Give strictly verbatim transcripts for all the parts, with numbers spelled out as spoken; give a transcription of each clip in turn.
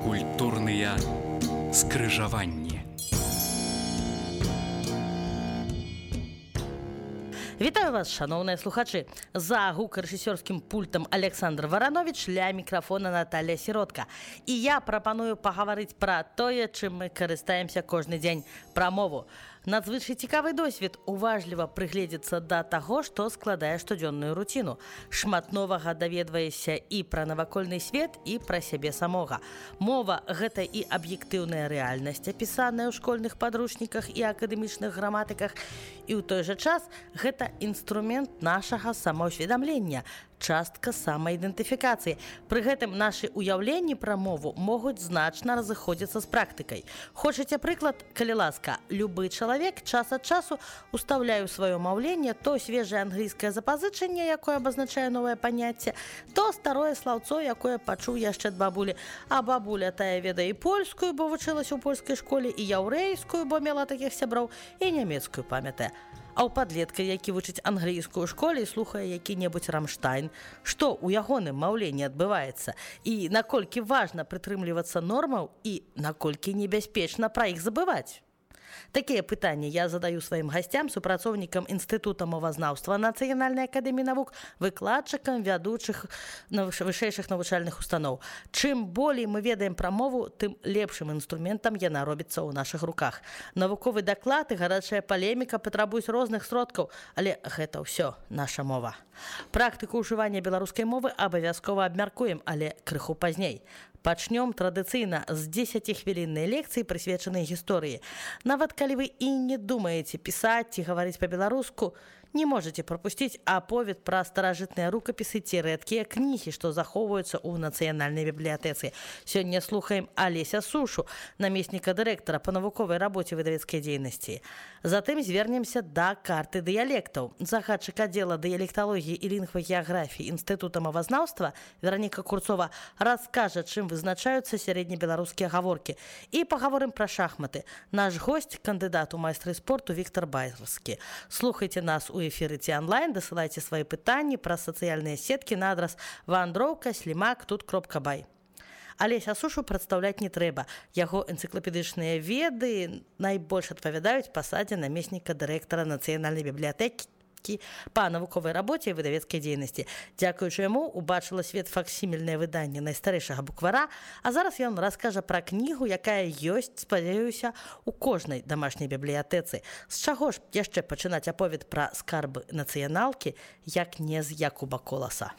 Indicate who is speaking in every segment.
Speaker 1: Культурныя скрыжаванні.
Speaker 2: Вітаю вас, шановныя слухачы. За гукарэжысёрскім пультам Александр Варанович, ля мікрафона Наталья Сіротка. І я прапаную пагаварыць пра тое, чым мы карыстаемся кожны дзень, пра мову. Надзвычай цікавы досвед уважліва прыгледзецца да таго, што складае штодзённую руціну. Шмат новага даведваешся і пра навакольны свет, і пра сябе самога. Мова – гэта і аб'ектыўная рэальнасць, апісаная ў школьных падручніках і акадэмічных граматыках, і ў той жа час гэта інструмент нашага самаўсведамлення, частка самаідэнтыфікацыі. Пры гэтым нашы ўяўленні пра мову могуць значна разыходзіцца з практыкай. Хочаце прыклад? Калі ласка, любы чалавек час ад часу устаўляе ў сваё маўленне то свежае англійскае запазычанне, якое абазначае новае паняцце, то старое слаўцо, якое пачуў яшчэ ад бабулі. А бабуля тая ведае і польскую, бо вучылася ў польскай школе, і яўрэйскую, бо мела такіх сяброў, і нямецкую памятае. А ў падлетка, які вучыць англійскую ў школе і слухае які-небудзь Рамштайн, што ў ягоным маўленні адбываецца, і наколькі важна прытрымлівацца нормаў, і наколькі небяспечна пра іх забываць? Такія пытанні я задаю сваім гасцям, супрацоўнікам Інстытута мовазнаўства Нацыянальнай акадэміі навук, выкладчыкам вядучых вышэйшых навучальных устаноў. Чым болей мы ведаем пра мову, тым лепшым інструментам яна робіцца ў нашых руках. Навуковы даклад і гарачая палеміка патрабуюць розных сродкаў, але гэта ўсё наша мова. Практыку ўжывання беларускай мовы абавязкова абмяркуем, але крыху пазней. Пачнём традыцыйна з дзесяцігвіліннай лекцыі, прысвечанай гісторыі. Нават калі вы і не думаеце пісаць ці гаварыць па-беларуску, не можаце прапусціць аповед пра старажытныя рукапісы ці рэдкія кнігі, што захоўваюцца ў нацыянальнай бібліятэцы. Сёння слухаем Алеся Сушу, намесніка дырэктара па навуковай рабоце выдавецкай дзейнасці. Затым звернемся да карты дыялектаў. Загадчык аддзела дыялекталогіі і лінгвагеаграфіі Інстытута мовазнаўства Вераніка Курцова раскажа, чым вызначаюцца сярэднебеларускія гаворкі. І пагаворым пра шахматы. Наш госць, кандыдат у майстры спорту Віктар Байрскі. Слухайце нас у эфіры ці онлайн, дасылайце свае пытанні праз сацыяльныя сеткі на адрас вандроўка слімак тут кропка бай. Алеся Сушу прадстаўляць не трэба. Яго энцыклапедычныя веды найбольш адпавядаюць пасадзе намесніка дырэктара Нацыянальнай бібліятэкі па навуковай рабоце і выдавецкай дзейнасці. Дзякуючы яму убачыла свет факсімільнае выданне найстарэйшага буквара, а зараз ён раскажа пра кнігу, якая ёсць, спадзяюся, у кожнай дамашняй бібліятэцы. З чаго ж яшчэ пачынаць аповед пра скарбы нацыяналкі, як не з Якуба Коласа?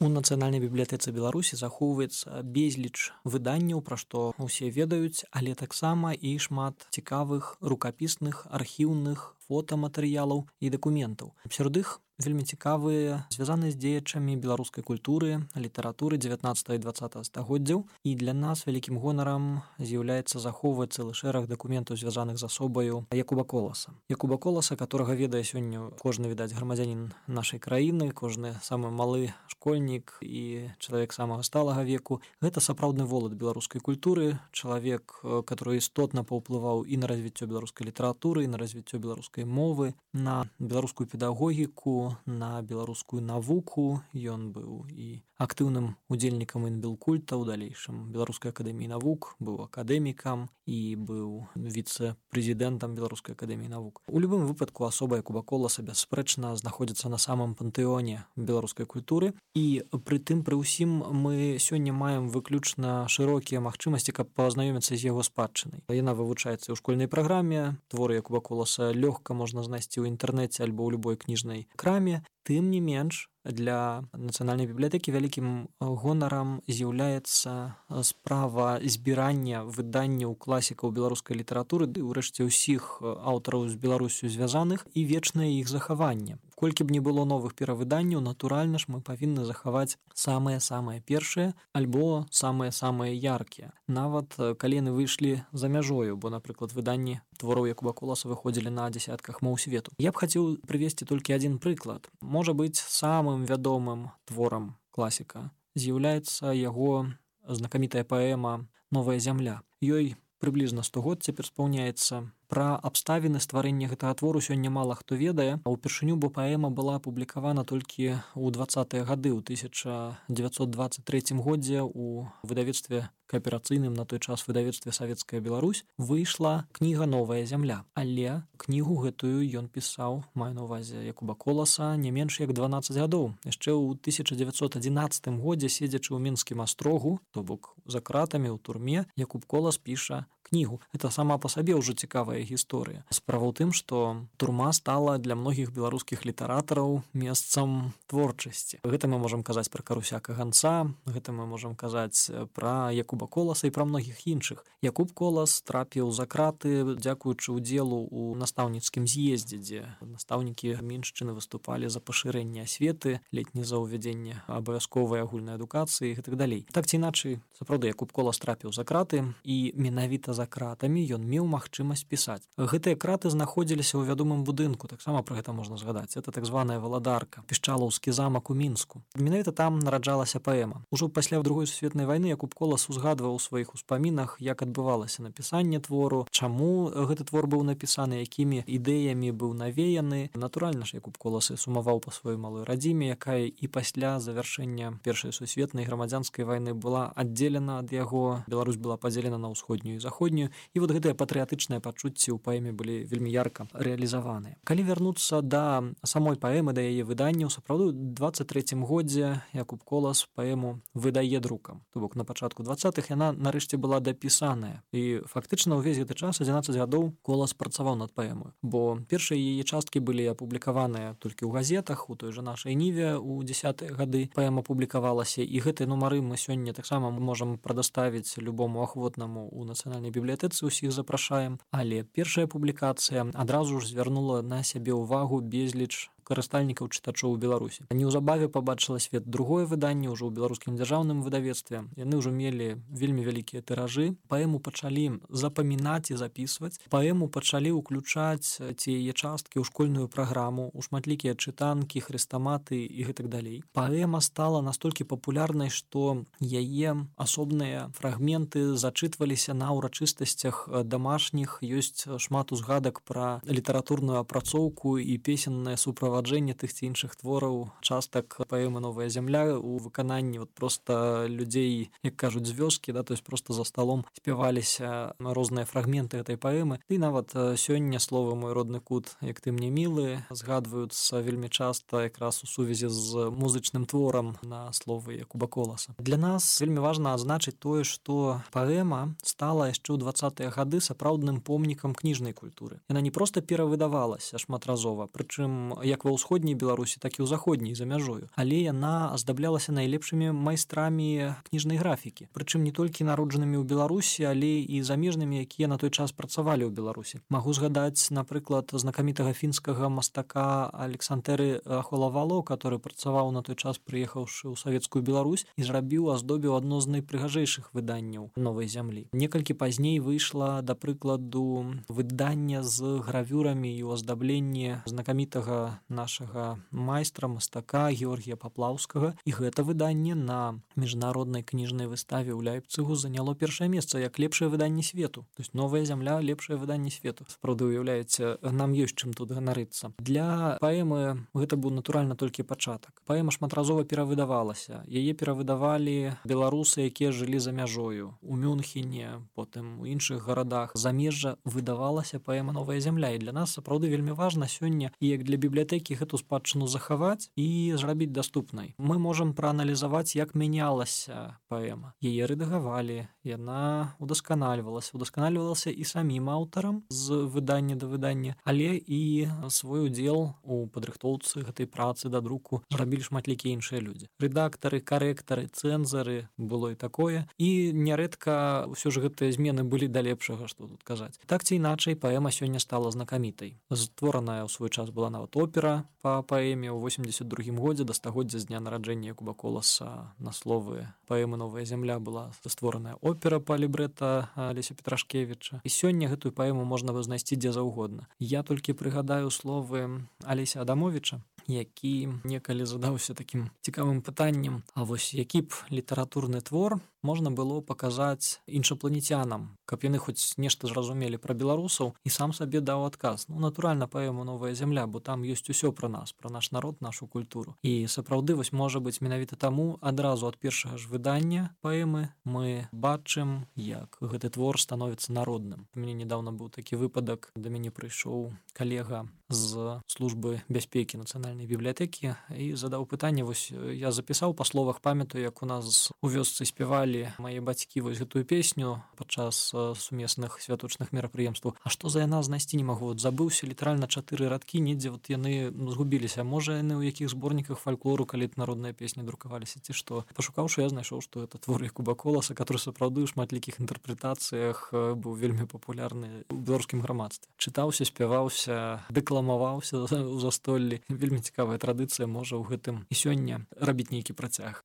Speaker 3: У Нацыянальнай бібліятэцы Беларусі захоўваецца безліч выданняў, пра што ўсе ведаюць, але таксама і шмат цікавых рукапісных, архіўных фотаматэрыялаў і дакументаў. Сярод іх вельмі цікавыя, звязаныя з дзеячамі беларускай культуры, літаратуры дзевятнаццатага і дваццатага стагоддзяў. І для нас вялікім гонарам з'яўляецца захоўваць цэлы шэраг дакументаў, звязаных з асобаю Якуба Коласа. Якуба Коласа, которага ведае сёння кожны, відаць, грамадзянін нашай краіны, кожны самы малы школьнік і чалавек самага сталага веку. Гэта сапраўдны волат беларускай культуры, чалавек, который істотна паўплываў і на развіццё беларускай літаратуры, і на развіццё беларускай мовы, на беларускую педагогіку, на беларускую навуку. Ён быў і актыўным удзельнікам інбелкульта, у далейшым Беларускай акадэміі навук, быў акадэмікам і быў віцэ-прэзідэнтам Беларускай акадэміі навук. У любым выпадку асоба Якуба Коласа бясспрэчна знаходзіцца на самым пантэоне беларускай культуры. І пры тым, пры ўсім, мы сёння маем выключна шырокія магчымасці, каб пазнаёміцца з яго спадчынай. Яна вывучаецца ў школьнай праграме, творы Якуба Коласа лёгка можна знайсці ў інтэрнэце альбо ў любой кніжнай краме. Тым не менш, для Нацыянальнай бібліятэкі вялікім гонарам з'яўляецца справа збірання выданняў класікаў беларускай літаратуры, ды ўрэшце ўсіх аўтараў з Беларусю звязаных, і вечнае іх захаванне. Колькі б не было новых перавыданняў, натуральна ж мы павінны захаваць самыя-самыя першыя альбо самыя-самыя яркія. Нават калі яны выйшлі за мяжою, бо, напрыклад, выданні твораў Якуба Коласа выходзілі на дзясятках моў свету. Я б хацеў прывесці толькі адзін прыклад. Можа быць, самым вядомым творам класіка з'яўляецца яго знакамітая паэма «Новая зямля». Ёй прыблізна сто год цяпер спаўняецца. Пра абставіны стварэння гэтага твору сёння мала хто ведае, а ўпершыню, бо паэма была апублікавана толькі ў дваццатыя гады, ў тысяча дзевяцьсот дваццаць трэцім годзе у выдавецтве кааперацыйным на той час выдавецтве Савецкая Беларусь выйшла кніга «Новая зямля». Але кнігу гэтую ён пісаў, маю на ўвазе Якуба Коласа, не менш як дванаццаць гадоў. Яшчэ ў тысяча дзевяцьсот адзінаццатым годзе, седзячы ў мінскім астрогу, то бок за кратамі ў турме, Якуб Колас піша кнігу. Это сама па сабе ўжо цікавая гісторыя. Справа ў тым, што турма стала для многіх беларускіх літаратараў месцам творчасці. Гэта мы можам казаць пра Карусяка Ганца, гэта мы можам казаць пра Якуба Коласа і пра многіх іншых. Якуб Колас трапіў за краты, дзякуючы ўдзелу ў настаўніцкім з'ездзе, дзе настаўнікі міншчыны выступалі за пашырэнне асветы, летні за ўвядзенне абавязковай агульнай адукацыі і гэтак далей. Так ці іначай, сапраўды, Якуб Колас трапіў за краты, і менавіта за кратамі ён меў магчымасць пісаць. Гэтыя краты знаходзіліся ў вядомым будынку, таксама пра гэта можна згадаць. Это так званая Валадарка, пішчалаўскі замак у Мінску. Менавіта там нараджалася паэма. Ужо пасля Другой сусветнай вайны Якуб Колас узгадваў у сваіх успамінах, як адбывалася напісанне твору, чаму гэты твор быў напісаны, якімі ідэямі быў навеяны. Натуральна ж, Якуб Колас сумаваў па сваёй малой радзіме, якая і пасля завяршэння Першай сусветнай грамадзянскай вайны была аддзелена ад яго. Беларусь была падзелена на ўсходнюю і заходнюю, і вот гэтыя патрыятычныя пачуцці ў паэме былі вельмі ярка рэалізаваныя. Калі вярнуцца да самой паэмы, да яе выданняў, сапраўды ў дваццаць трэцім годзе Якуб Колас паэму выдае друкам. То бок на пачатку дваццатых яна нарэшце была дапісаная. І фактычна ўвесь гэты час, адзінаццаць гадоў, Колас працаваў над паэмаю, бо першыя яе часткі былі апублікаваныя толькі ў газетах, у той жа нашай Ніве ў дзесятыя гады паэма публікавалася, і гэтыя нумары мы сёння таксама можам прадаставіць любому ахвотнаму ў нацыянальнай бібліятэцы, усіх запрашаем. Але першая публікацыя адразу ж звярнула на сябе ўвагу безліч карыстальнікаў чытачоў у Беларусі. Неўзабаве пабачыла свет другое выданне ўжо ў беларускім дзяржаўным выдавецтве. Яны ўжо мелі вельмі вялікія тыражы. Паэму пачалі запамінаць і запісваць. Паэму пачалі ўключаць ці яе часткі ў школьную праграму, у шматлікія чытанкі, хрэстаматы і гэтак далей. Паэма стала настолькі папулярнай, што яе асобныя фрагменты зачытваліся на ўрачыстасцях дамашніх. Ёсць шмат узгадак пра літаратурную апрацоўку і песеннае суправаджэнне тых ці іншых твораў, частак паэмы «Новая зямля» у выкананні вот просто людзей, як кажуць, з вёскі, да, то есть просто за сталом спяваліся розныя фрагменты гэтай паэмы. І нават сёння словы «Мой родны кут, як ты мне мілы» згадваюцца вельмі часта якраз у сувязі з музычным творам на словы Якуба Коласа. Для нас вельмі важна адзначыць тое, што паэма стала яшчэ ў дваццатыя гады сапраўдным помнікам кніжнай культуры. Яна не проста перавыдавалася шматразова, прычым як ва ўсходняй Беларусі, так і ў заходняй за мяжою. Але яна аздаблялася найлепшымі майстрамі кніжнай графікі. Прычым не толькі народжанымі ў Беларусі, але і замежнымі, якія на той час працавалі ў Беларусі. Магу згадаць, напрыклад, знакамітага фінскага мастака Александэры Холавало, который працаваў на той час, прыехаўшы ў Савецкую Беларусь, і зрабіў, аздобіў адно з найпрыгажэйшых выданняў «Новай зямлі». Некалькі пазней выйшла, да прыкладу, выданне з гравюрамі і ў аздабленні знакамітага нашага майстра, мастака Георгія Паплаўскага. І гэта выданне на міжнароднай кніжнай выставе ў Ляйпцыгу заняло першае месца як лепшае выданне свету. То есть «Новая зямля» лепшае выданне свету. Сапраўды, уяўляеце, нам ёсць чым тут ганарыцца. Для паэмы гэта быў натуральна толькі пачатак. Паэма шматразова перавыдавалася. Яе перавыдавалі беларусы, якія жылі за мяжою. У Мюнхене, потым у іншых гарадах. Замежжа выдавалася паэма «Новая зямля». І для нас сапраўды вельмі важна сёння, і як для бібліятэкі гэту спадчыну захаваць і зрабіць даступнай. Мы можам прааналізаваць, як мянялася паэма. Яе рэдагавалі, яна удасканальвалася. Удасканальвалася і самім аўтарам з выдання да выдання, але і свой удзел у падрыхтоўцы гэтай працы да друку зрабілі шматлікія іншыя людзі. Рэдактары, карэктары, цэнзары, было і такое. І нярэдка ўсё ж гэтыя змены былі да лепшага, што тут казаць. Так ці іначай, паэма сёння стала знакамітай. Створаная ў свой час была нават опера па паэме ў восемьдесят другім годзе, да стагоддзя з дня нараджэння Якуба Коласа на словы паэмы «Новая зямля» была створаная опера па лібрэта Алеся Петрашкевіча. І сёння гэтую паэму можна знайсці дзе заўгодна. Я толькі прыгадаю словы Алеся Адамовіча, які некалі задаўся такім цікавым пытаннем: а вось які б літаратурны твор можна было паказаць іншапланецянам, каб яны хоць нешта зразумелі пра беларусаў, і сам сабе даў адказ. Ну, натуральна, паэму «Новая зямля», бо там ёсць усё пра нас, пра наш народ, нашу культуру. І сапраўды, вось, можа быць, менавіта таму адразу ад першага ж выдання паэмы мы бачым, як гэты твор становіцца народным. У мяне нядаўна быў такі выпадак, да мяне прыйшоў калега з службы бяспекі нацыянальнай бібліятэкі і задаў пытанне. Вось я запісаў па словах, памятаю, як у нас у вёсцы спявалі мае бацькі вось гэтую песню падчас сумесных святочных мерапрыемстваў. А што за яна знайсці не магу? Вот забыўся літаральна чатыры радкі, недзе вот яны згубіліся. Можа, яны ў якіх зборніках фальклору, калі народныя песні друкаваліся, ці што? Пашукаўшы, я знайшоў, што гэта твор Якуба Коласа, который сапраўды ў шматлікіх інтэрпрэтацыях быў вельмі папулярны ў беларускім грамадстве. Чытаўся, спяваўся, дэкламаваўся ў застоллі. Вельмі цікавая традыцыя, можа ў гэтым і сёння рабіць нейкі працяг.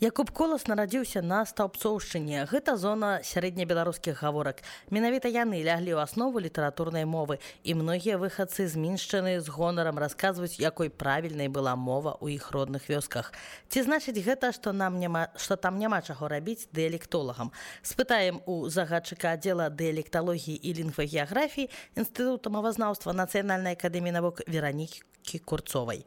Speaker 2: Якуб Колас нарадзіўся на Стаўбцоўшчыне. Гэта зона сярэднебеларускіх гаворак. Менавіта яны ляглі ў аснову літаратурнай мовы, і многія выхадцы з Міншчыны з гонарам расказваюць, якой правільнай была мова ў іх родных вёсках. Ці значыць гэта, што нам няма, што там няма чаго рабіць дыялектолагам? Спытаем у загадчыка аддзела дыялекталогіі і лінгвагеаграфіі Інстытута мовазнаўства Нацыянальнай акадэміі навук Веранікі Курцовай.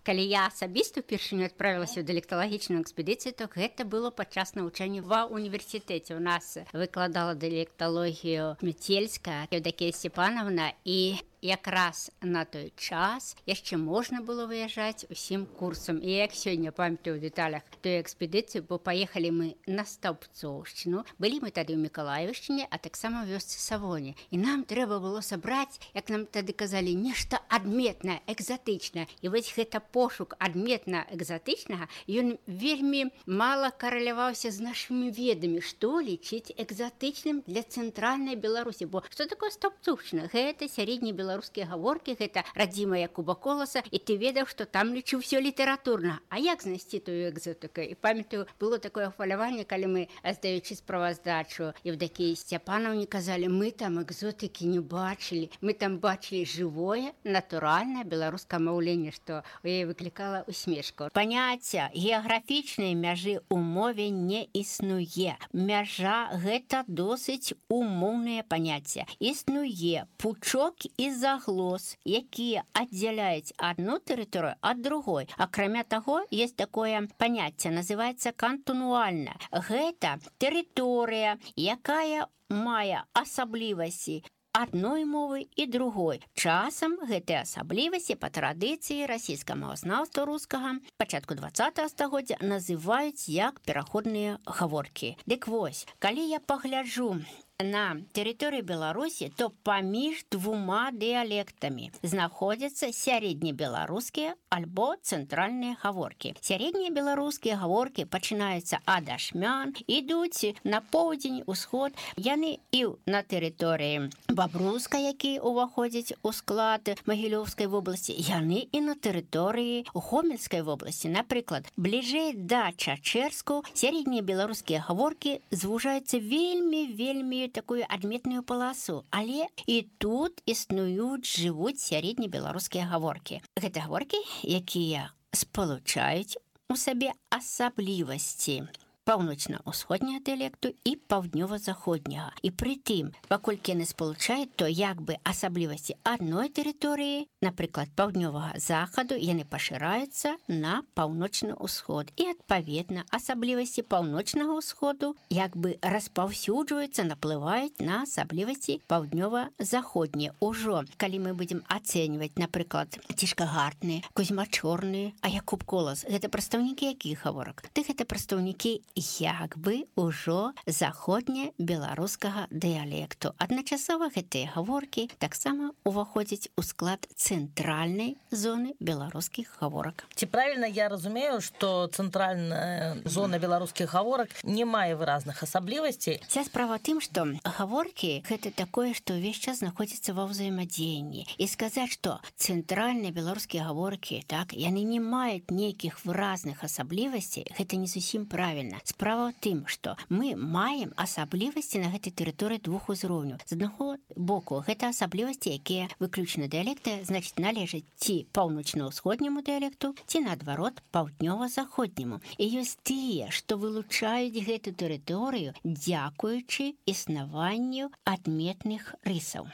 Speaker 4: Калі я асабіста ўпершыню адправілася ў дыялекталагічную экспедыцыю, то гэта было падчас навучання ва універсітэце. У нас выкладала дыялекталогію Мецельская Евдокія Степановна, і якраз на той час яшчэ можна было выязджаць усім курсам. І як сёння памятаю ў дэталях той экспедыцыі, бо паехалі мы на Стаўбцоўшчыну, былі мы тады ў Мікалаевішчыне, а таксама ў вёсцы Савоне. І нам трэба было сабраць, як нам тады казалі, нешта адметнае, экзатычнае. І вось гэта пошук адметна экзатычнага, ён вельмі мала карэляваўся з нашымі ведамі, што лічыць экзатычным для цэнтральнай Беларусі. Бо што такое Стаўбцоўшчына? Гэта сярэднебеларускія гаворкі, гэта радзіма Якуба Коласа, і ты ведаў, што там лічыў усё літаратурна. А як знайсці тую экзотыку? І памятаю, было такое хваляванне, калі мы, здаючы справаздачу Евдокіі Степановне, казалі, мы там экзотыкі не бачылі, мы там бачылі жывое, натуральнае беларускае маўленне, што у яе выклікала усмешку. Паняцця геаграфічнай мяжы ў мове не існуе. Мяжа — гэта досыць умоўнае паняцце. Існуе пучок і заглос, якія аддзяляюць адну тэрыторыю ад другой. Акрамя таго, есть такое паняцце, называецца кантунуальна. Гэта тэрыторыя, якая мае асаблівасці адной мовы і другой. Часам гэтыя асаблівасці па традыцыі расійскага мовазнаўства рускага пачатку дваццатага стагоддзя называюць як пераходныя гаворкі. Дык вось, калі я пагляджу на тэрыторыі Беларусі, то паміж двума дыялектамі знаходзяцца сярэднебеларускія альбо цэнтральныя гаворкі. Сярэднія беларускія гаворкі пачынаюцца ад ашмян, ідуць на поўдзень, усход. Яны і на тэрыторыі Бабруска, які ўваходзіць у склад Магілёўскай вобласці, яны і на тэрыторыі Гомельскай вобласці. Напрыклад, бліжэй да Чачэрску сярэднія беларускія гаворкі звужаюцца вельмі-вельмі такую адметную паласу, але і тут існуюць, жывуць сярэднебеларускія гаворкі. Гэта гаворкі, якія спалучаюць у сабе асаблівасці паўночна-ўсходняга дыялекту і паўднёва-заходняга. І пры тым, паколькі яны спалучаюць, то як бы асаблівасці адной тэрыторыі, напрыклад, паўднёвага захаду, яны пашыраюцца на паўночны ўсход. І, адпаведна, асаблівасці паўночнага ўсходу як бы распаўсюджваюцца, наплываюць на асаблівасці паўднёва-заходнія. Ужо, калі мы будзем ацэньваць, напрыклад, Цішкагартны, Кузьма-Чорны, а Якуб Колас, гэта прадстаўнікі якіх гаворак? Ты гэта прадстаўнікі як бы ўжо заходне-беларускага дыялекту. Адначасова гэтыя гаворкі таксама уваходзяць у склад цэнтральнай зоны беларускіх гаворак.
Speaker 2: Ці правільна я разумею, што цэнтральная зона беларускіх гаворак не мае выразных асаблівасцей?
Speaker 4: Вся справа тым, што гаворкі — гэта такое, што ўвесь час знаходзіцца ва ўзаемадзеянні. І сказаць, што цэнтральныя беларускія гаворкі, так, яны не маюць нейкіх выразных асаблівасцей, гэта не зусім правільна. Справа ў тым, што мы маем асаблівасці на гэтай тэрыторыі двух узроўняў. З аднаго боку, гэта асаблівасці, якія выключна дыялекты, значыць, належаць ці паўночна-ўсходняму дыялекту, ці, наадварот, паўднёва-заходняму. І ёсць тыя, што вылучаюць гэту тэрыторыю, дзякуючы існаванню адметных рысаў.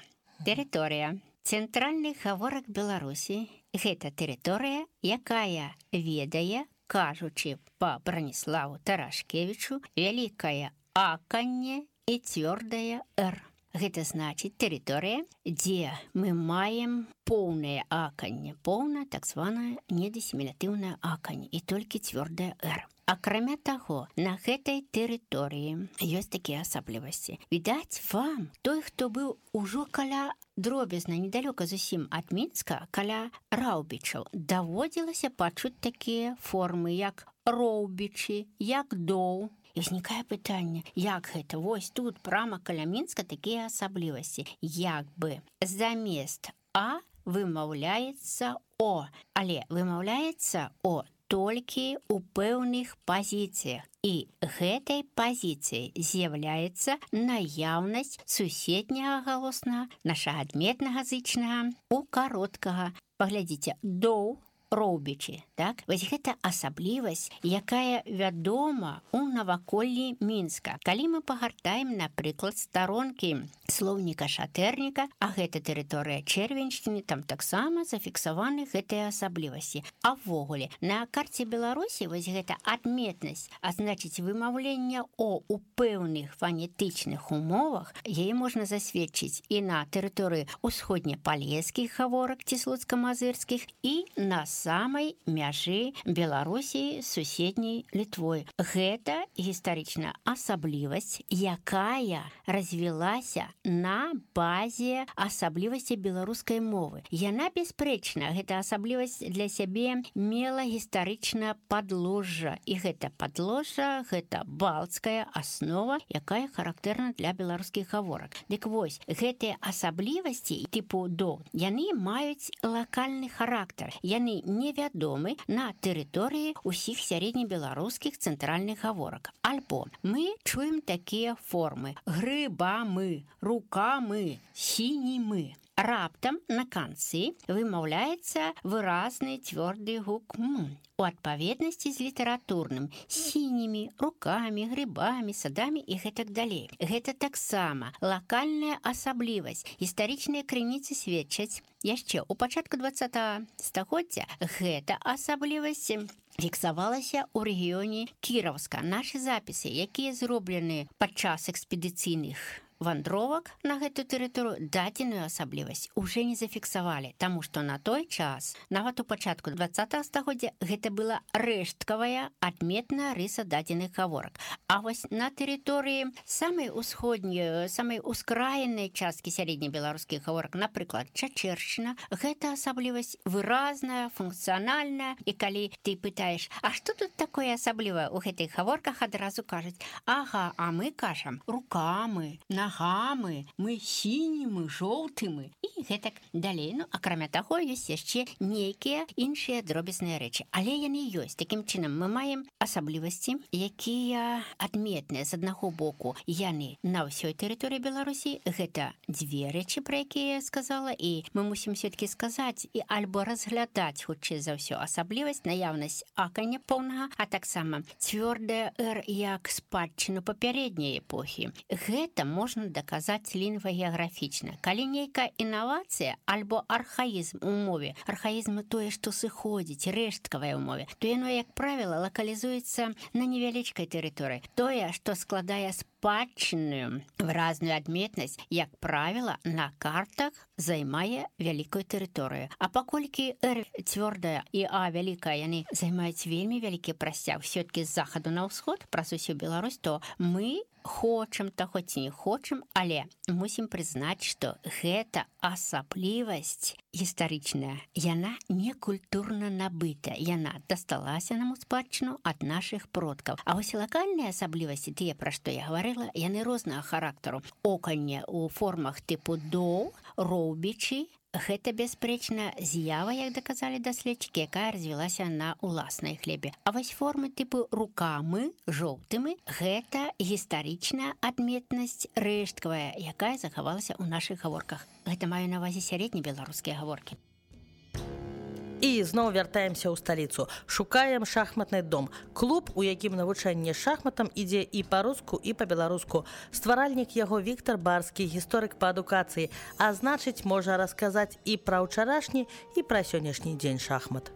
Speaker 4: Тэрыторыя цэнтральных гаворак Беларусі – гэта тэрыторыя, якая ведае, кажучы па Браніславу Тарашкевічу, вялікае аканне і цвёрдае «р». Гэта значыць тэрыторыя, дзе мы маем поўнае аканне, поўна так званае недасімілятыўнае аканне і толькі цвёрдае «р». Акрамя таго, на гэтай тэрыторыі ёсць такія асаблівасці. Відаць вам, той, хто быў ужо каля дробязна, недалёка зусім ад Мінска, каля Раўбічаў, даводзілася пачуць такія формы, як роўбічы, як доў. І ўзнікае пытанне, як гэта? Вось тут, прама каля Мінска, такія асаблівасці. Як бы замест «а» вымаўляецца «о», але вымаўляецца «о» толькі ў пэўных пазіцыях. І гэтай пазіцыяй з'яўляецца наяўнасць суседняга галоснага, нашага адметнага зычнага, у кароткага. Паглядзіце, доў, роўбічы, так? Вось гэта асаблівасць, якая вядома ў наваколлі Мінска. Калі мы пагартаем, напрыклад, старонкі слоўніка Шатэрніка, а гэта тэрыторыя Чэрвеньшчыны, там таксама зафіксаваны гэтыя асаблівасці. А ўвогуле, на карце Беларусі вось гэта адметнасць, а значыць вымаўленне «о» у пэўных фанетычных умовах, яе можна засведчыць і на тэрыторыі усходнепалескіх гаворак ці слуцка-мазырскіх, і на самай мяжы Беларусі з суседняй Літвой. Гэта гістарычная асаблівасць, якая развілася на базе асаблівасці беларускай мовы. Яна, бясспрэчна, гэта асаблівасць для сябе мела гістарычнае падложжа. І гэта падложжа, гэта балцкая аснова, якая характэрна для беларускіх гаворак. Дык вось, гэтыя асаблівасці тыпу «до», яны маюць лакальны характар. Яны невядомы на тэрыторыі ўсіх сярэднебеларускіх цэнтральных гаворак. Альбо мы чуем такія формы: грыбамы, рукамы, сінімы. Раптам на канцы вымаўляецца выразны цвёрды гук «м» у адпаведнасці з літаратурным сінімі, рукамі, грыбамі, садамі і гэтак далей. Гэта таксама лакальная асаблівасць. Гістарычныя крыніцы сведчаць яшчэ ў пачатку дваццатага стагоддзя гэта асаблівасць фіксавалася ў рэгіёне Кіровска. Нашы запісы, якія зроблены падчас экспедыцыйных вандровак на гэту тэрыторыю, дадзеную асаблівасць уже не зафіксавалі, таму што на той час, нават у пачатку дваццатага стагоддзя, гэта была рэшткавая адметная рыса дадзеных гаворак. А вось на тэрыторыі самай усходняй, самай ускраіннай часткі сярэднебеларускіх гаворак, напрыклад, Чачэршчына, гэта асаблівасць выразная, функцыянальная, і калі ты пытаеш, а што тут такое асаблівае ў гэтых гаворках, адразу кажуць: ага, а мы кажам рукамы, на гамы, мы сінімы, жоўтымы і гэтак далей. Ну, акрамя таго, ёсць яшчэ нейкія іншыя дробязныя рэчы. Але яны ёсць. Такім чынам, мы маем асаблівасці, якія адметныя. З аднаго боку, яны на ўсёй тэрыторыі Беларусі. Гэта дзве рэчы, пра якія я сказала, і мы мусім все-таки сказаць і альбо разглядаць, хутчэй за ўсё, асаблівасць, наяўнасць акання поўнага, а таксама цвёрдае «р» як спадчыну папярэдняй эпохі. Гэта можна даказаць лінгвагеаграфічна. Калі нейкая інавацыя альбо архаізм у мове, архаізм тое, што сыходзіць, рэшткавая ў мове, то яно, як правіла, лакалізуецца на невялічкай тэрыторыі. Тое, што складае спадчынную выразную адметнасць, як правіла, на картах займае вялікую тэрыторыю. А паколькі «р» цвёрдая і «а» вялікая, яны займаюць вельмі вялікі прасцяг все-таки з захаду на ўсход праз усю Беларусь, то мы хочам таго ці не хочам, але мусім прызнаць, што гэта асаблівасць гістарычная. Яна не культурна набыта. Яна дасталася нам у спадчыну ад нашых продкаў. А вось лакальныя асаблівасці, тыя, пра што я гаварыла, яны рознага характару. Оканне ў формах тыпу «доў», роўбічы, Гэта, бясспрэчна, з'ява, як даказалі даследчыкі, якая развілася на ўласнай хлебе. А вось формы тыпу рукамы, жоўтымі, гэта гістарычная адметнасць рэшткавая, якая захавалася ў нашых гаворках. Гэта маю на ўвазе сярэднебеларускія гаворкі.
Speaker 2: І зноў вяртаемся ў сталіцу. Шукаем шахматны дом. Клуб, у якім навучанне шахматам ідзе і па-руску, і па-беларуску. Стваральнік яго Віктар Барскі, гісторык па адукацыі. А значыць, можа расказаць і пра ўчарашні, і пра сённяшні дзень шахмат.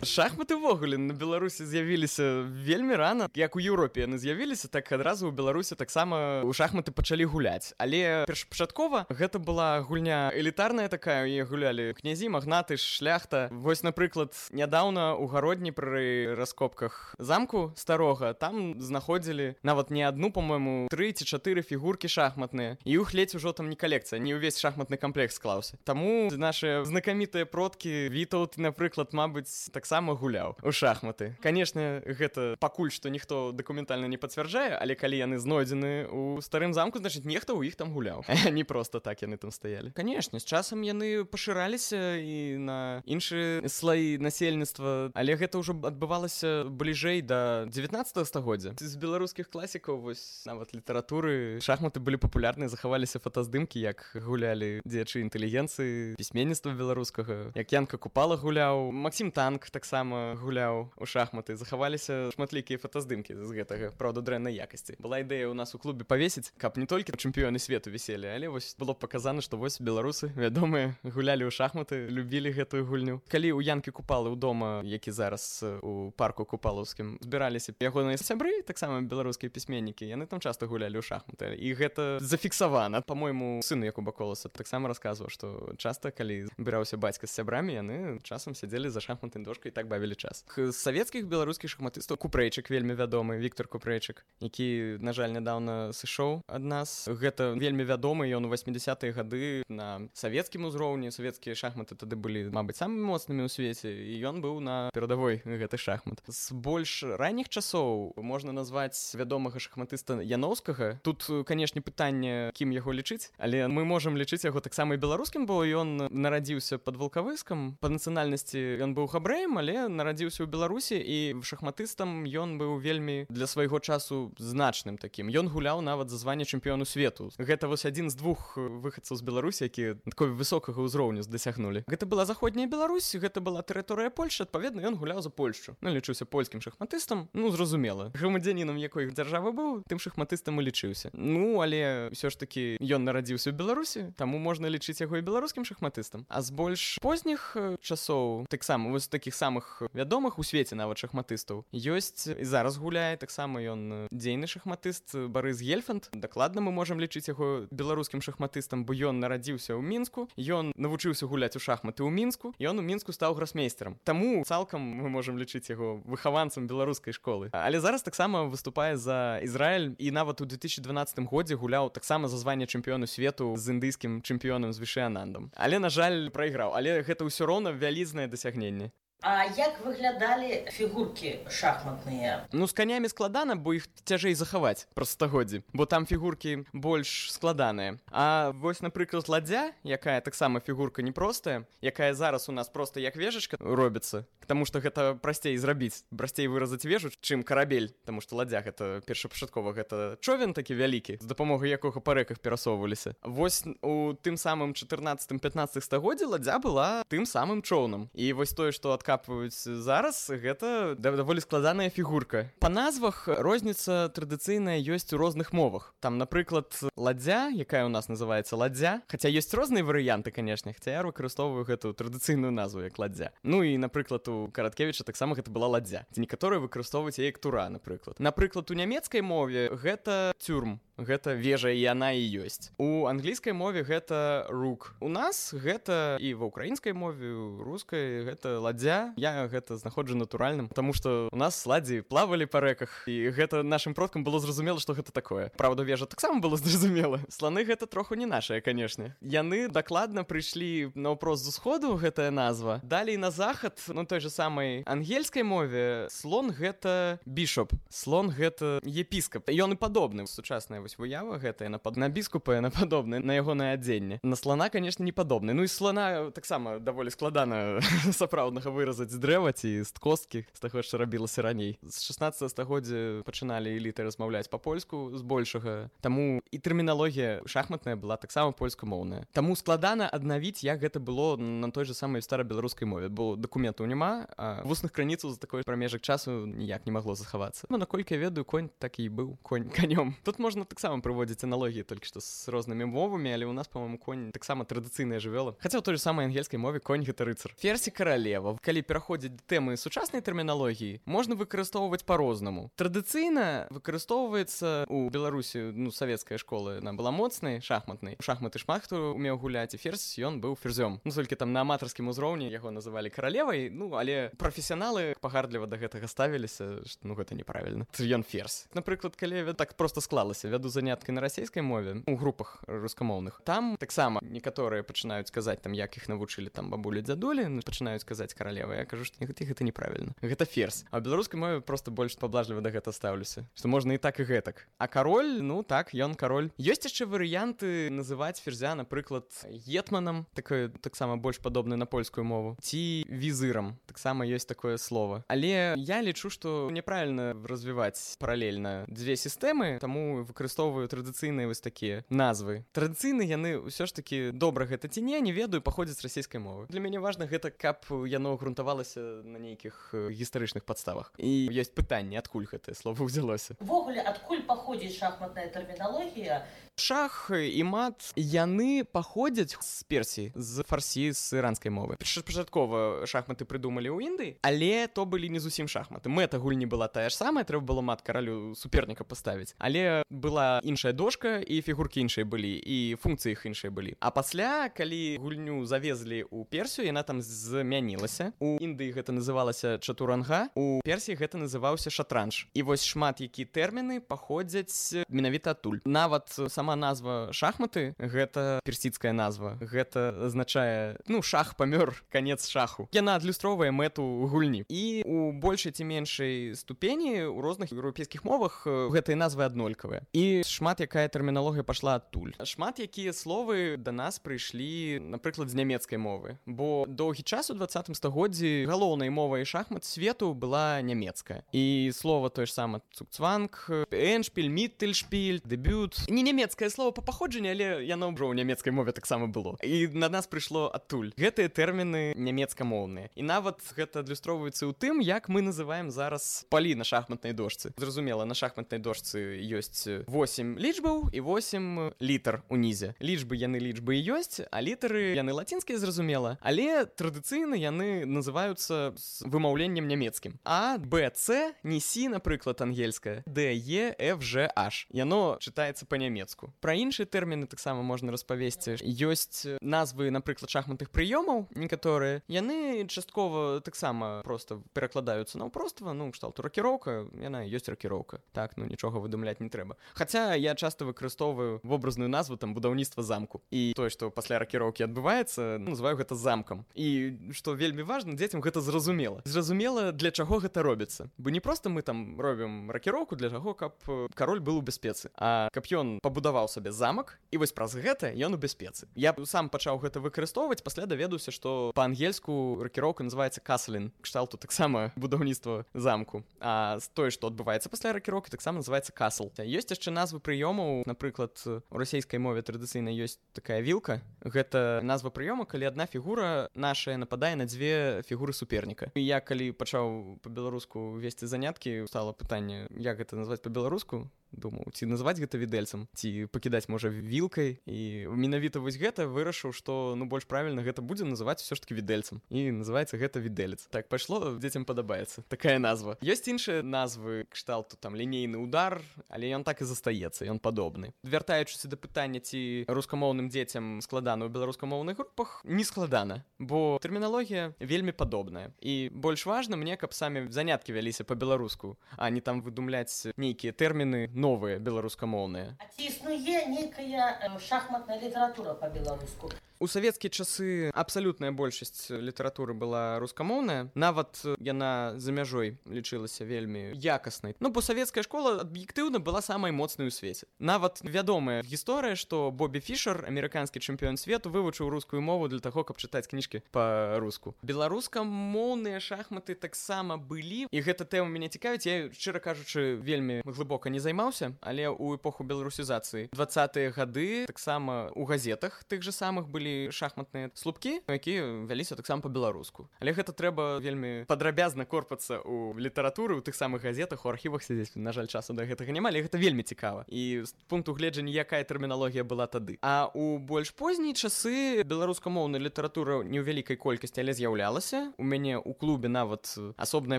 Speaker 5: Шахматы ўвогуле на Беларусі з'явіліся вельмі рана. Як у Еўропе яны з'явіліся, так адразу ў Беларусі таксама ў шахматы пачалі гуляць. Але першапачаткова гэта была гульня элітарная такая, яе гулялі князі, магнаты, шляхта. Вось, напрыклад, нядаўна ў гародні пры раскопках замку старога там знаходзілі нават не адну, па-мойму, тры ці чатыры фігуркі шахматныя. І іх ледзь ужо там не калекцыя, не ўвесь шахматны камплект склаўся. Таму нашы знакамітыя продкі Вітаўт, напрыклад, мабыць, так сама гуляў у шахматы. Канешне, гэта пакуль што ніхто дакументальна не пацвярджае, але калі яны знойдзены ў старым замку, значыць, нехта ў іх там гуляў. Не проста так яны там стаялі. Канешне, з часам яны пашыраліся і на іншыя слаі насельніцтва, але гэта ўжо адбывалася бліжэй да дзевятнаццатага стагоддзя. З беларускіх класікаў, вось нават літаратуры, шахматы былі папулярныя, захаваліся фотаздымкі, як гулялі дзеячы інтэлігенцыі, пісьменніцтва беларускага, як Янка Купала гуляў, Максім Танк таксама гуляў у шахматы. Захаваліся шматлікія фотаздымкі з гэтага, праўда, дрэннай якасці. Была ідэя ў нас у клубе павесіць, каб не толькі чэмпіёны свету віселі, але вось было паказана, што вось беларусы, вядомыя, гулялі ў шахматы, любілі гэтую гульню. Калі ў Янкі Купалы ў дома, які зараз у парку Купалаўскім, збіраліся ягоныя сябры, таксама беларускія пісьменнікі, яны там часта гулялі ў шахматы. І гэта зафіксавана. Па-мойму, сын Якуба Коласа таксама расказваў, што часта, калі збіраўся бацька з сябрамі, яны часам сядзелі за шахматнай дошкай і так бавілі час. З савецкіх беларускіх шахматыстаў Купрэйчык вельмі вядомы, Віктар Купрэйчык, які, на жаль, нядаўна сышоў ад нас. Гэта вельмі вядомы, ён у васьмідзясятыя гады на савецкім узроўні. Савецкія шахматы тады былі, мабыць, самымі моцнымі ў свеце, і ён быў на перадавой гэтых шахмат. З больш ранніх часоў можна назваць вядомага шахматыста Яноўскага. Тут, канешне, пытанне, кім яго лічыць, але мы можам лічыць яго таксама і беларускім, бо ён нарадзіўся пад Валкавыскам. Па нацыянальнасці ён быў габрэем, але нарадзіўся ў Беларусі, і шахматыстам ён быў вельмі для свайго часу значным такім. Ён гуляў нават за званне чэмпіёну свету. Гэта вось адзін з двух выхадцаў з Беларусі, якія такой высокага ўзроўню дасягнулі. Гэта была заходняя Беларусь, гэта была тэрыторыя Польшчы, адпаведна, ён гуляў за Польшчу. Ну, лічыўся польскім шахматыстам, ну, зразумела. Грамадзянінам якой дзяржавы быў, тым шахматыстам і лічыўся. Ну, але ўсё ж такі ён нарадзіўся ў Беларусі, таму можна лічыць яго і беларускім шахматыстам. А з больш позніх часоў, таксама вось такіх самых вядомых у свеце нават шахматыстаў ёсць і зараз гуляе таксама ён дзейны шахматыст Барыс Гельфанд. Дакладна мы можам лічыць яго беларускім шахматыстам, бо ён нарадзіўся ў Мінску, ён навучыўся гуляць у шахматы ў Мінску, і ён у Мінску стаў гросмейстерам. Таму цалкам мы можам лічыць яго выхаванцам беларускай школы. Але зараз таксама выступае за Ізраіль і нават у две тысячи дванаццатым годзе гуляў таксама за званне чэмпіёну свету з індыйскім чэмпіёнам з Вішыянандам. Але, на жаль, прайграў. Але гэта ўсё роўна вялізнае дасягненне.
Speaker 2: А як выглядалі фігуркі шахматныя?
Speaker 5: Ну, з канямі складана, бо іх цяжэй захаваць праз стагоддзі, бо там фігуркі больш складаныя. А вось, напрыклад, ладдзя, якая таксама фігурка непростая, якая зараз у нас проста як вежачка робіцца, таму што гэта прасцей зрабіць, прасцей выразаць вежу, чым карабель, таму што ладдзя гэта першапачаткова гэта човен такі вялікі, з дапамогай якога па рэках перасоўваліся. Вось у тым самым чатырнаццатым-пятнаццатым стагоддзі ладдзя была тым самым чоўнам. І вось тое, што адкапваюць зараз, гэта даволі складаная фігурка. Па назвах розніца традыцыйная ёсць у розных мовах. Там, напрыклад, ладдзя, якая у нас называецца ладдзя, хаця ёсць розныя варыянты, канешне, хаця я выкарыстоўваю гэту традыцыйную назву як ладдзя. Ну і, напрыклад, у Караткевіча таксама гэта была ладдзя. Ці некаторыя выкарыстоўваюць яе як тура, напрыклад. Напрыклад, у нямецкай мове гэта цюрм. Гэта вежа, і яна і ёсць. У англійскай мове гэта рук. У нас гэта і ва ўкраінскай мове, у рускай гэта ладдзя. Я гэта знаходжу натуральным, таму што у нас ладдзі плавалі па рэках, і гэта нашым продкам было зразумела, што гэта такое. Праўда, вежа таксама было зразумела. Сланы гэта троху не нашае, канешне. Яны дакладна прыйшлі наўпрост з усходу, гэтая назва. Далей на захад, ну той же самай ангельскай мове, слон гэта бішоп. Слон гэта епіскап. Ён і падобны. Сучасная вось выява гэтая на пад на біскупа яна падобная на ягонае адзенне. На слана, конечно, не падобны. Ну і слана таксама даволі складана сапраўднага выразаць з дрэва ці з косткі, з таго, што рабілася раней. З шаснаццатага стагоддзя пачыналі эліты размаўляць па-польску збольшага. Таму і тэрміналогія шахматная была таксама польскамоўная. Таму складана аднавіць, як гэта было на той же самай старабеларускай мове, бо дакументаў няма, а вусных крыніцаў за такой прамежак часу ніяк не магло захавацца. Ну, наколькі я ведаю, конь так і быў конь канём. Тут можна таксама прыводзіць аналогіі толькі што з рознымі мовамі, але ў нас, па-моему, конь таксама традыцыйная жывёла. Хаця ў той же самай ангельскай мове конь гэта рыцар. Ферзь і каралева. Калі пераходзіць да тэмы сучаснай тэрміналогіі, можна выкарыстоўваць па-рознаму. Традыцыйна выкарыстоўваецца ў Беларусі, ну, савецкая школа, яна была моцнай, шахматнай. У шахматы шмат хто умеў гуляць, і ферзь ён быў ферзём. Ну, толькі там на аматарскім узроўні яго называлі каралевай, ну, але прафесіяналы пагардліва да гэтага ставіліся, што ну гэта неправільна. Ён ферзь. Напрыклад, калі я так проста склалася, вяду заняткі на расійскай мове у групах рускамоўных. Там таксама некаторыя пачынаюць казаць там, як іх навучылі там бабулі дзядулі, пачынаюць казаць каралева. Я кажу, што гэта, гэта неправільна. Гэта ферзь. А ў беларускай мове проста больш паблажліва да гэта ставлюся, што можна і так і гэтак. А кароль, ну так, ён кароль. Ёсць яшчэ варыянты называць ферзя, напрыклад, гетманам, такое таксама больш падобна на польскую мову, ці візырам. Таксама ёсць такое слово. Але я лічу, што няправільна развіваць паралельна дзве сістэмы, таму выкарыстоўваю традыцыйныя вось такія назвы. Традыцыйна яны ўсё ж такі добра гэта ці не, не ведаю, паходзяць з расійскай мовы. Для мяне важна гэта, каб яно грунтавалася на нейкіх гістарычных падставах. І ёсць пытанне, адкуль гэтае слово ўзялося.
Speaker 2: Увогуле, адкуль паходзіць шахматная тэрміналогія?
Speaker 5: Шах і мат, яны паходзяць з Персіі, з фарсі, з іранскай мовы. Пачаткова шахматы прыдумалі ў Індыі, але то былі не зусім шахматы. Мэта гульні была тая ж самая, трэба было мат каралю суперніка паставіць. Але была іншая дошка, і фігуркі іншыя былі, і функцыі іх іншыя былі. А пасля, калі гульню завезлі ў Персію, яна там змянілася. У Індыі гэта называлася чатуранга, у Персіі гэта называўся шатранж. І вось шмат які тэрміны паходзяць менавіта адтуль. Нават сама назва шахматы, гэта персідская назва. Гэта азначае, ну, шах памёр, канец шаху. Яна адлюстроўвае мэту гульні. І у большай ці меншай ступені у розных еўрапейскіх мовах гэтыя назвы аднолькавыя. І шмат якая тэрміналогія пайшла адтуль. Шмат якія словы да нас прыйшлі, напрыклад, з нямецкай мовы. Бо доўгі час у дваццатым стагоддзі галоўнай мовай шахмат свету была нямецкая. І слова тое ж сама цукцванг, эншпіль, міттельшпіль, дэбют. Не нямецкае слово па паходжанні, але яно ўжо ў нямецкай мове таксама было. І на нас прыйшло адтуль. Гэтыя тэрміны нямецкамоўныя. І нават гэта адлюстроўваецца ў тым, як мы называем зараз палі на шахматнай дошцы. Зразумела, на шахматнай дошцы ёсць восем лічбаў і восем літар унізе. Лічбы яны лічбы і ёсць, а літары яны лацінскія, зразумела. Але традыцыйна яны называюцца з вымаўленнем нямецкім. А, Б, С, не Сі, напрыклад, ангельская. Д, Е, Ф, Ж, H. Яно чытаецца па-нямецку. Пра іншыя тэрміны таксама можна распавесці. Ёсць назвы, напрыклад, шахматных прыёмаў, некаторыя. Яны часткова таксама проста перакладаюцца на ўпроства, ну, кшталту ракіроўка, яна ёсць ракіроўка. Так, ну, нічога выдумляць не трэба. Хаця я часта выкарыстоўваю вобразную назву там будаўніцтва замку. І тое, што пасля ракіроўкі адбываецца, ну, называю гэта замкам. І што вельмі важна, дзецям гэта зразумела. Зразумела, для чаго гэта робіцца. Бо не проста мы там робім ракіроўку для таго, каб кароль быў у бяспецы, а каб ён пабудаваў сабе замак, і вось праз гэта ён у бяспецы. Я сам пачаў гэта выкарыстоўваць, пасля даведаўся, што па-ангельску ракіроўка называецца каслін, кшталту таксама будаўніцтва замку. А тое, што адбываецца пасля ракіроўкі, таксама называецца касл. Ёсць яшчэ назвы прыёмаў, напрыклад, у расійскай мове традыцыйна ёсць такая вілка. Гэта назва прыёма, калі адна фігура нашая нападае на дзве фігуры суперніка. І я калі пачаў па-беларуску весці заняткі, стала пытанне, як гэта назваць па-беларуску. Думаў, ці назваць гэта відэльцам, ці пакідаць, можа, вілкай. І менавіта вось гэта вырашыў, што, ну, больш правільна гэта будзе называць усё ж такі відэльцам. І называецца гэта відэлец. Так пайшло, дзецям падабаецца. Такая назва. Ёсць іншыя назвы, кшталту там лінейны удар, але ён так і застаецца, ён падобны. Вяртаючыся да пытання, ці рускамоўным дзецям складана ў беларускамоўных групах, не складана, бо тэрміналогія вельмі падобная. І больш важна мне, каб самі заняткі вяліся па-беларуску, а не там выдумляць нейкія тэрміны новыя беларускамоўныя.
Speaker 2: А ці існуе нейкая шахматная літаратура па-беларуску?
Speaker 5: У савецкія часы абсалютная большасць літаратуры была рускамоўная, нават яна за мяжой лічылася вельмі якаснай. Ну, бо савецкая школа аб'ектыўна была самай моцнай у свеце. Нават вядомая гісторыя, што Бобі Фішер, амерыканскі чэмпіён свету, вывучыў рускую мову для таго, каб чытаць кніжкі па-руску. Беларускамоўныя шахматы таксама былі, і гэта тэма мяне цікавіць. Я, шчыра кажучы, вельмі глыбока не займаўся, але ў эпоху беларусізацыі дваццатыя гады таксама у газетах тых же самых былі шахматныя слупкі, якія вяліся таксама па-беларуску. Але гэта трэба вельмі падрабязна корпацца ў літаратуры, у тых самых газетах, у архівах сядзець. На жаль, часу да гэтага няма, але гэта вельмі цікава. І з пункту гледжання, якая тэрміналогія была тады. А у больш позняй часы беларускамоўная літаратура не ў вялікай колькасці, але з'яўлялася. У мяне ў клубе нават асобная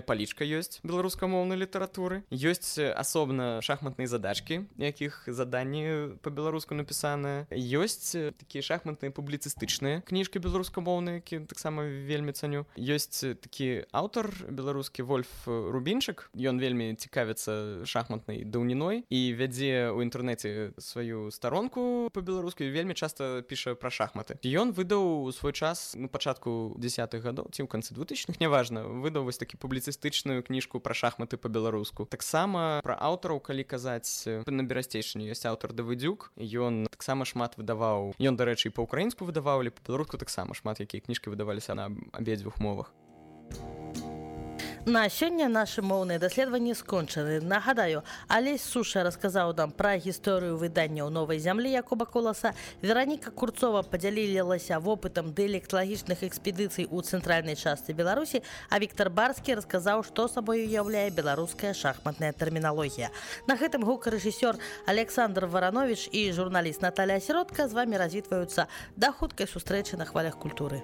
Speaker 5: палічка ёсць беларускамоўнай літаратуры. Ёсць асобна шахматныя задачкі, якіх заданні па-беларуску напісаныя. Ёсць такія шахматныя публіцыстычныя кніжкі беларускамоўныя, які таксама вельмі цаню. Ёсць такі аўтар беларускі Вольф Рубінчык. Ён вельмі цікавіцца шахматнай даўніной і вядзе ў інтэрнэце сваю старонку па-беларуску і вельмі часта піша пра шахматы. Ён выдаў у свой час на пачатку дзесятых гадоў, ці ў канцы двухтысячных, няважна, выдаў вось такі публіцыстычную кніжку пра шахматы па-беларуску. Таксама пра аўтараў, калі казаць, на Берасцейшчыне ёсць аўтар Давыдзюк, ён таксама шмат выдаваў. Ён, дарэчы, і па-украінску выдаваў, але па-беларуску таксама шмат якія кніжкі выдаваліся на абедзвюх мовах.
Speaker 2: На сёння нашы моўныя даследаванні скончаны. Нагадаю, Алесь Суша расказаў нам пра гісторыю выдання ў новай зямлі Якуба Коласа. Вераніка Курцова падзялілася вопытам дыялекталагічных экспедыцый у цэнтральнай частцы Беларусі, а Віктар Барскі расказаў, што сабой уяўляе беларуская шахматная тэрміналогія. На гэтым гукарэжысёр Александр Варанович і журналіст Наталля Сіротка з вамі развітваюцца. Да хуткай сустрэчы на хвалях культуры.